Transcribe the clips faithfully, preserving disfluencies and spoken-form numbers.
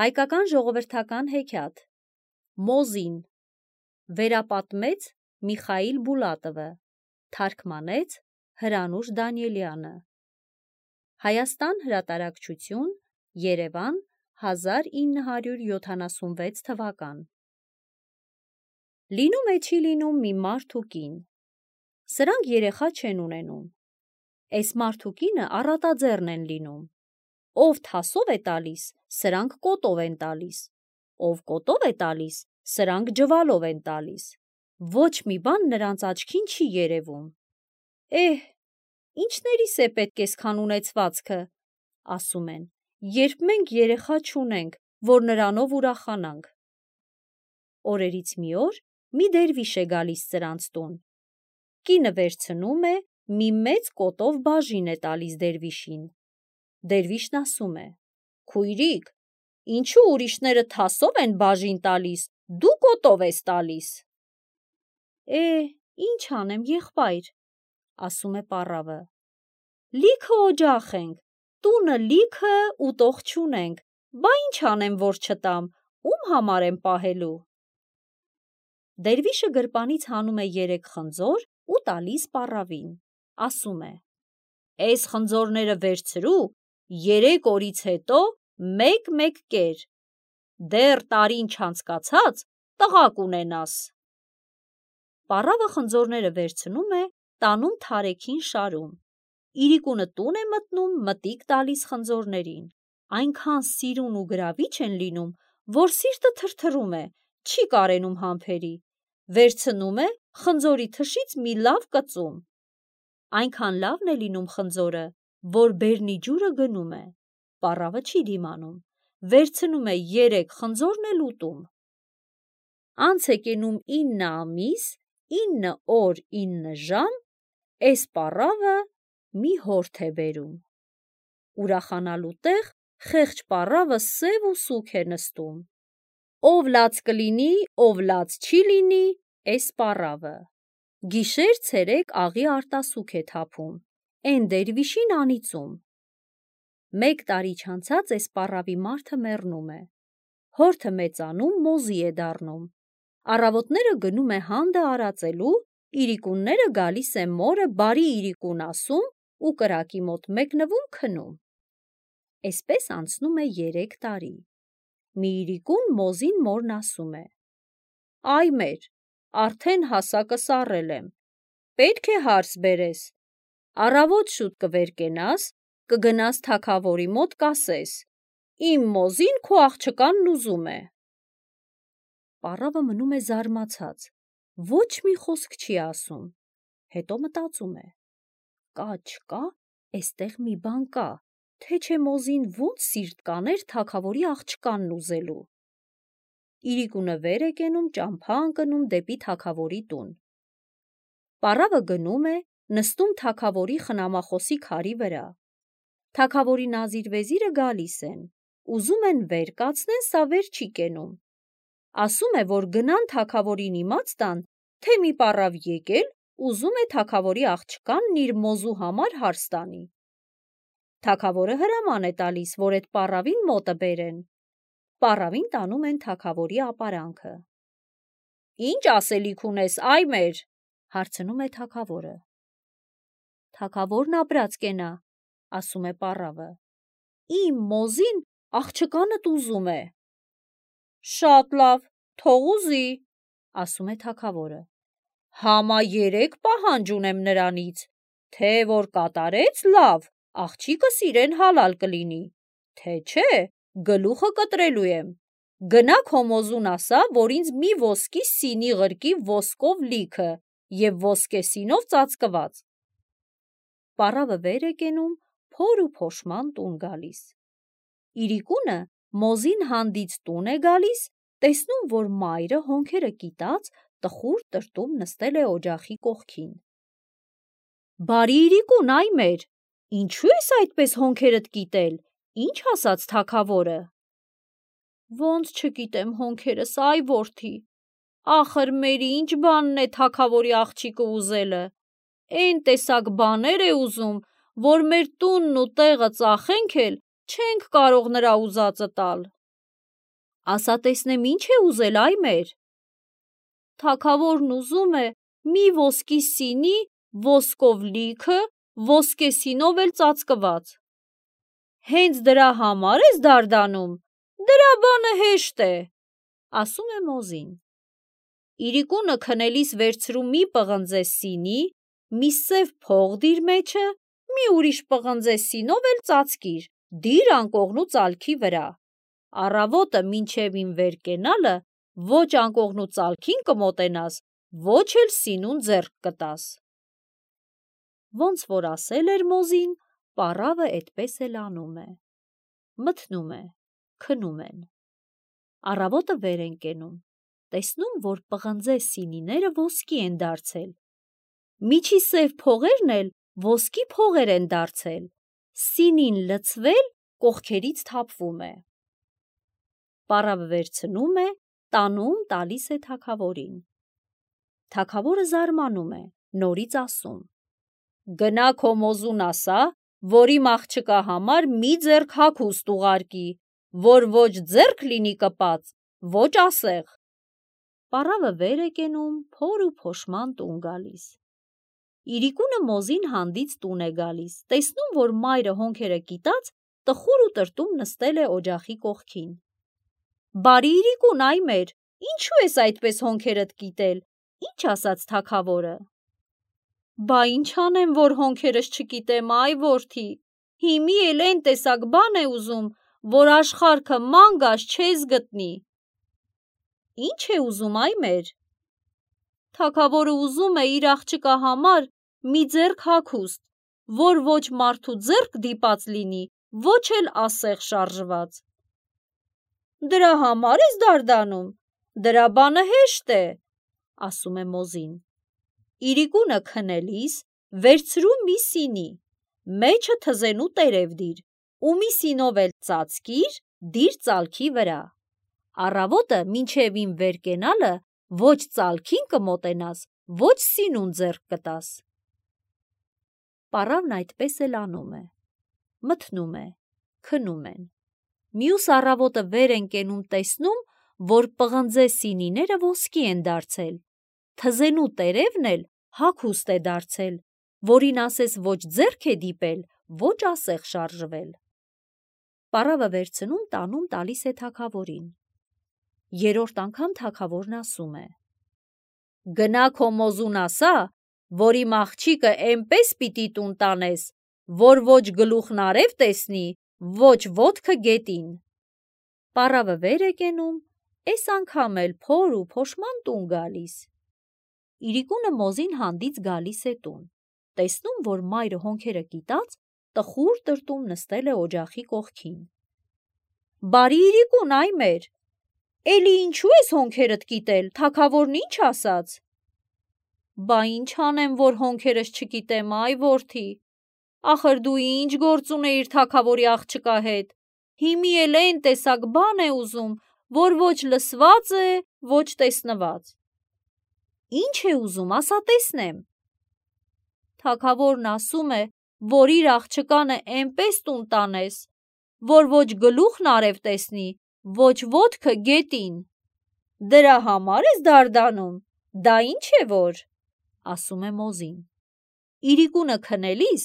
Հայկական ժողովրդական հեքիաթ Մոզին վերապատմեց Միխայիլ Բուլատովը, թարգմանեց Հրանուշ Դանիելյանը։ Հայաստան հրատարակչություն, Երևան, հազար ինը հարյուր յոթանասունվեց թվական։ Լինում է չի լինում մի մարդ ու կին։ Սրանք երեխա չեն ունենում։ Էս մարդ ու կինը առատաձեռն են լինում։ Ով թասով է տալիս, սրանք կոտով են տալիս, ով կոտով է տալիս, սրանք ջվալով են տալիս։ Ոչ մի բան նրանց աչքին չի երևում։ Էհ, ինչներիս է պետք էսքան ունեցվածքը, ասում են, երբ մենք երեխա չունենք, որ նրանով ուրախանանք։ Օրերից մի օր մի դերվիշ է գալիս սրանց տուն։ Կինը վերցնում է, մի մեծ կոտով բաժին է տալիս դերվիշին։ Դերվիշն ասում է. «Քույրիկ, ինչու ուրիշները թասով են բաժին տալիս, դու կոտով ես տալիս»։ Է, ինչ անեմ, եղբայր, ասում է պառավը։ Լիքը օջախ ենք, տունը լիքը ուտող չունենք, բա ինչ անեմ, որ չտամ, ում համար եմ պահելու։ Դերվիշը գրպանից հանում է երեք խնձոր ու տալիս պառավին, ասում է. «Էս խնձորները վերցրու, երեք օրից հետո մեկ-մեկ կեր, դեռ տարին չանցկացած տղա կունենաս»։ Պառավը խնձորները վերցնում է, տանում թարեքին շարում։ Իրիկունը տուն է մտնում, մտիկ տալիս խնձորներին, այնքան սիրուն ու գրավիչ են լինում, որ սիրտը թրթռում է, չի կարենում համբերի, վերցնում է խնձորի թշից մի լավ կծում։ Այնքան լավն է լինում խնձորը, որ բերնի ջուրը գնում է, պառավը չի դիմանում, վերցնում է երեք խնձորն էլ ուտում։ Անց է կենում ինը ամիս, ինը օր, ինը ժամ, էս պառավը մի հորթ է բերում։ Ուրախանալու տեղ խեղճ պառավը սև ու սուգ է նստում։ Ով լաց կլինի, ով լաց չի լինի, էս պառավը։ Գիշեր ցերեկ աղի արտասուք է թափում, էն դերվիշին անիծում։ Մեկ տարի չանցած էս պառավի մարդը մեռնում է։ Հորթը մեծանում, մոզի է դառնում։ Առավոտները գնում է հանդը արածելու, իրիկունները գալիս է մորը բարի իրիկուն ասում ու կրակի մոտ մեկնվում քնում։ Էսպես անցնում է երեք տարի։ Մի իրիկուն մոզին մորն ասում է. «Այ մեր, արդեն հասակը սառել եմ, պետք է հարս բերես, առավոտ շուտ կվեր-կենաս, կգնաս թագավորի մոտ կասես, իմ մոզին քո աղջկանն ուզում է»։ Պառավը մնում է զարմացած, ոչ մի խոսք չի ասում, հետո մտածում է. կա չկա, էստեղ մի բան կա, թե չէ մոզին ոնց սիրտ կաներ թագավորի աղջկանն ուզելու։ Իրիկունը վեր է կենում, ճամփա ընկնում դեպի թագավորի տուն։ Պառավը գնում է, նստում թագավորի խնամախոսի քարի վրա։ Թագավորի նազիր-վեզիրը գալիս են, ուզում են վեր կացնեն, սա վեր չի կենում։ Ասում է, որ գնան թագավորին իմաց տան, թե մի պառավ եկել, ուզում է թագավորի աղջկանն իր մոզու համար հարս տանի։ Թագավորը հրաման է տալիս, որ էդ պառավին մոտը բերեն։ Պառավին տանում են թագավորի ապարանքը։ Ինչ ասելիք ունես, այ մեր, հարցնում է թագավորը։ Թագավորն ապրած կենա, ասում է պառավը, իմ մոզին աղջկանդ ուզում է։ Շատ լավ, թող ուզի, ասում է թագավորը։ Համա երեք պահանջ ունեմ նրանից, թե որ կատարեց, լավ, աղջիկս իրեն հալալ կլինի, թե չէ, գլուխը կտրելու եմ։ Գնա քո մոզուն ասա, որ ինձ մի ոսկի սինի ղրկի ոսկով լիքը և ոսկե սինով ծածկված։ Պառավը վեր է կենում, փոր ու փոշման տուն գալիս։ Իրիկունը մոզին հանդից տուն է գալիս, տեսնում, որ մայրը հոնքերը կիտած, տխուր տրտում նստել է օջախի կողքին։ Բարի իրիկուն, այ մեր, ինչու ես այդպես հոնքերդ կիտել, ինչ ասաց թագավորը։ Ոնց չկիտեմ հոնքերս, այ որդի, ախր մերի ինչ բանն է թագավորի աղջիկը ուզելը, էն տեսակ բաներ է ուզում, որ մեր տունն ու տեղը ծախենք էլ չենք կարող նրա ուզածը տալ։ ասա տեսնեմ ինչ է ուզել այ մեր։ Թագավորն ուզում է մի ոսկի սինի, ոսկով լիքը, ոսկե սինով էլ ծածկված։ Հենց դրա համար ես դարդանում, դրա բանը հեշտ է, ասում է Մոզին։ Իրիկունը քնելիս վերցրու մի պղնձե սինի, մի սև փող դիր մեջը, մի ուրիշ պղնձե սինով էլ ծածկիր, դիր անկողնու ծալքի վրա։ Առավոտը մինչև իմ վեր կենալը ոչ անկողնու ծալքին կմոտենաս, ոչ էլ սինուն ձեռք կտաս։ Ոնց որ ասել էր Մոզին, պառավը էդպես էլ անում է։ Մթնում է, քնում են։ Առավոտը վեր են կենում, տեսնում, որ պղնձե սինիները ոսկի են դարձել, միջի սև փողերն էլ ոսկի փողեր են դարձել, սինին լցվել կողքերից թափվում է։ Պառավը վերցնում է, տանում տալիս է թագավորին։ Թագավորը զարմանում է, նորից ասում. Գնա քո Մոզուն ասա, որ իմ աղջկա համար մի ձեռք հագուստ ուղարկի, որ ոչ ձեռք լինի կպած, ոչ ասեղ։ Պառավը վեր է կենում, փոր ու փոշման տուն գալիս։ Իրիկունը Մոզին հանդից տուն է գալիս, տեսնում, որ մայրը հոնքերը կիտած, տխուր ու տրտում նստել է օջախի կողքին։ Բարի Իրիկուն այ մեր, ինչու ես այդպես հոնքերդ կիտել, ինչ ասաց թագավորը։ Բա ինչ անեմ, որ հոնքերս չկիտեմ, այ որդի, հիմի էլ են տեսակ բան է ուզում, որ աշխարհքը մանգաս չես գտնի։ Ինչ է ուզում այ մեր։ Թագավորը ուզում է իր աղջկա համար մի ձեռք հագուստ, որ ոչ մարդու ձեռք դիպած լինի, ոչ էլ ասեղ շարժված։ Դրա համար ես դարդանում, դրա բանը հեշտ է, ասում է Մոզին։ Իրիկունը քնելիս վերցրու մի սինի, մեջը թզենու տերև դիր, ու մի սինով էլ ծածկիր, դիր ծալքի վրա։ Առավոտը մինչև իմ վեր կենալը ոչ ծալքին կմոտենաս, ոչ սինուն ձեռք կտաս։ Պառավն այդպես էլ անում է։ Մթնում է, քնում են։ Մյուս առավոտը վեր են կենում, տեսնում, որ պղնձե սինիները ոսկի են դարձել, թզենու տերևն էլ հագուստ է դարձել, որին ասես ոչ ձեռք է դիպել, ոչ ասեղ շարժվել։ Պառավը վերցնում տանում տալիս է թագավորին։ Երրորդ անգամ թագավորն ասում է. Գնա քո Մոզուն ասա, որ իմ աղջիկը էնպես պիտի տուն տանես, որ ոչ գլուխն արև տեսնի, ոչ ոտքը գետին։ Պառավը վեր է կենում, էս անգամ էլ փոր ու փոշման տուն գալիս։ Իրիկունը Մոզին հանդից գալիս է տուն, տեսնում, որ մայրը հոնքերը կիտած, տխուր տրտում նստել է օջախի կողքին։ Բարի Իրիկուն այ մեր, էլի ինչու ես հոնքերդ կիտել, թագավորն ինչ ասաց։ Բա ինչ անեմ, որ հոնքերս չկիտեմ, այ որդի, ախր դու ինչ գործ ունեիր թագավորի աղջկա հետ, հիմի էլ են տեսակ բան է ուզում, որ ոչ լսված է, ոչ տեսնված։ Ինչ է ուզում, ասա տեսնեմ։ Թագավորն ասում է, որ իր աղջկանը էնպես տուն տանես, որ ոչ գլուխն արև տեսնի, ոչ ոտքը գետին։ Դրա համար ես դարդանում, դա ինչ է որ, ասում է Մոզին։ Իրիկունը քնելիս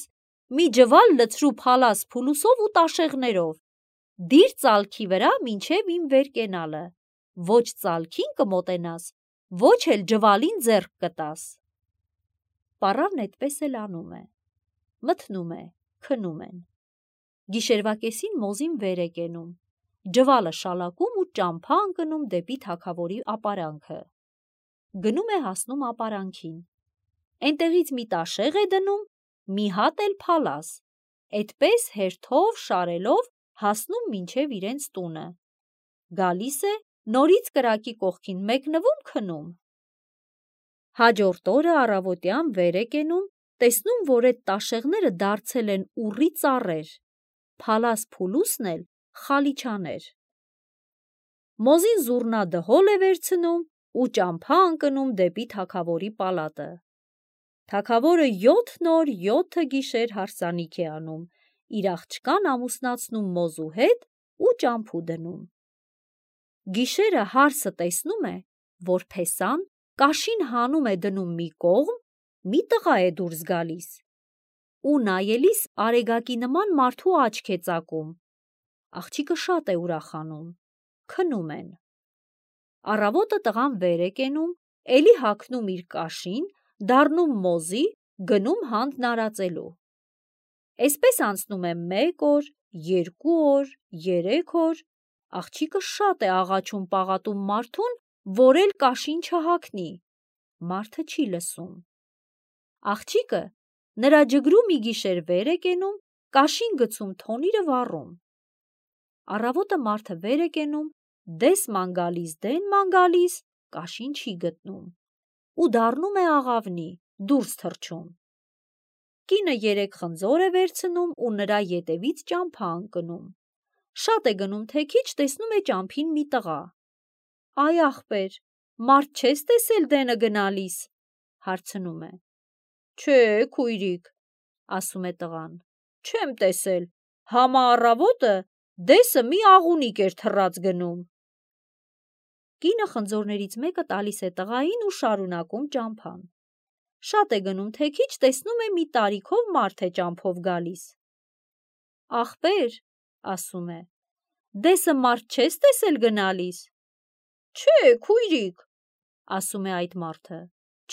մի ջվալ լցրու փալաս փուլուսով ու տաշեղներով, դիր ծալքի վրա մինչև իմ վեր կենալը, ոչ ծալքին կմոտենաս, ոչ էլ ջվալին ձեռք կտաս։ Պառավն էդպես էլ անում է։ Մթնում է, քնում են։ Գիշերվա կեսին Մոզին վեր է կենում, ջվալը շալակում ու ճամփա ընկնում դեպի թագավորի ապարանքը։ Գնում է հասնում ապարանքին։ Էնտեղից մի տաշեղ է դնում, մի հատ էլ փալաս, էդպես հերթով շարելով հասնում մինչև իրենց տունը։ Գալիս է, նորից կրակի կողքին մեկնվում, քնում։ Հաջորդ օրը առավոտյան վեր է կենում, տեսնում, որ այդ տաշեղները դարձել են ուռի ծառեր, փալաս փուլուսն էլ խալիչաներ։ Մոզին զուռնա-դհոլ է վերցնում ու ճամփա ընկնում դեպի թագավորի պալատը։ Թագավորը յոթ օր յոթ գիշեր հարսանիք է անում, իր աղջկան ամուսնացնում Մոզու հետ ու ճամփու դնում։ Գիշերը հարսը տեսնում է, որ փեսան կաշին հանում է դնում մի կողմ, մի տղա է դուրս գալիս ու նայելիս արեգակի նման մարդու աչք է ծակում։ Աղջիկը շատ է ուրախանում, քնում են։ Առավոտը տղան վեր է կենում, էլի հագնում իր կաշին, դառնում մոզի, գնում հանդն արածելու։ Էսպես անցնում է մեկ օր, երկու օր, երեք օր, աղջիկը շատ է աղաչում պաղատում մարդուն, որ էլ կաշին չհագնի, մարդը չի լսում։ Աղջիկը նրա ջգրու մի գիշեր վեր է կենում, կաշին գցում թոնիրը վառում։ Առավոտը մարդը վեր է կենում, դես ման գալիս, դեն ման գալիս, կաշին չի գտնում ու դառնում է աղավնի, դուրս թռչում։ Կինը երեք խնձոր է վերցնում ու նրա ետևից ճամփա ընկնում։ Շատ է գնում թե քիչ, տեսնում է ճամփին մի տղա։ Այ ախպեր, մարդ չես տեսել դենը գնալիս, հարցնում է։ Չէ, քույրիկ, ասում է տղան, չեմ տեսել, համա առավոտը դեսը մի աղունիկ էր թռած գնում։ Կինը խնձորներից մեկը տալիս է տղային ու շարունակում ճամփան։ Շատ է գնում թե քիչ, տեսնում է մի տարիքով մարդ է ճամփով գալիս։ Ախպեր, ասում է, դեսը մարդ չես տեսել գնալիս։ Չէ, քույրիկ, ասում է այդ մարդը,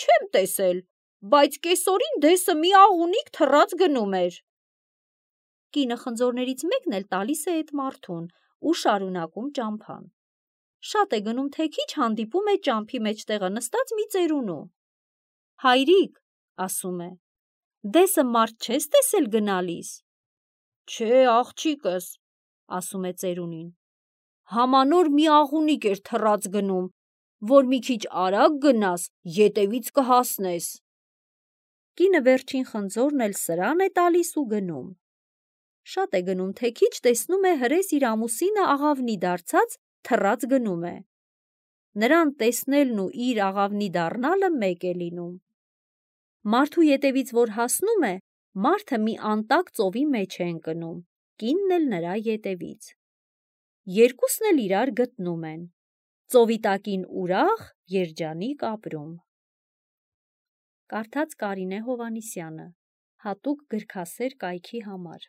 չեմ տեսել, բայց կեսօրին դեսը մի աղունիկ թռած գնում էր։ Կինը խնձորներից մեկն էլ տալիս է այդ մարդուն ու շարունակում ճամփան։ Շատ է գնում թե քիչ, հանդիպում է ճամփի մեջտեղը նստած մի ծերունու։ Հայրիկ, ասում է, դեսը մարդ չես տեսել գնալիս։ Չէ, աղջիկս, ասում է ծերունին, համանոր մի աղունիկ էր թռած գնում, որ մի քիչ արագ գնաս, ետևից կհասնես։ Կինը վերջին խնձորն էլ սրան է տալիս ու գնում։ Շատ է գնում թե քիչ, տեսնում է հրես իր ամուսինը աղավնի դարձած թռած գնում է։ Նրան տեսնելն ու իր աղավնի դառնալը մեկ է լինում։ Մարդու ետևից որ հասնում է, մարդը մի անտակ ծովի մեջ է ընկնում, կինն էլ նրա ետևից։ Երկուսն էլ իրար գտնում են։ Ծովի տակին ուրախ, երջանիկ ապրում։ Կարդաց Կարինե Հովհաննիսյանը, հատուկ գրքասեր կայքի համար։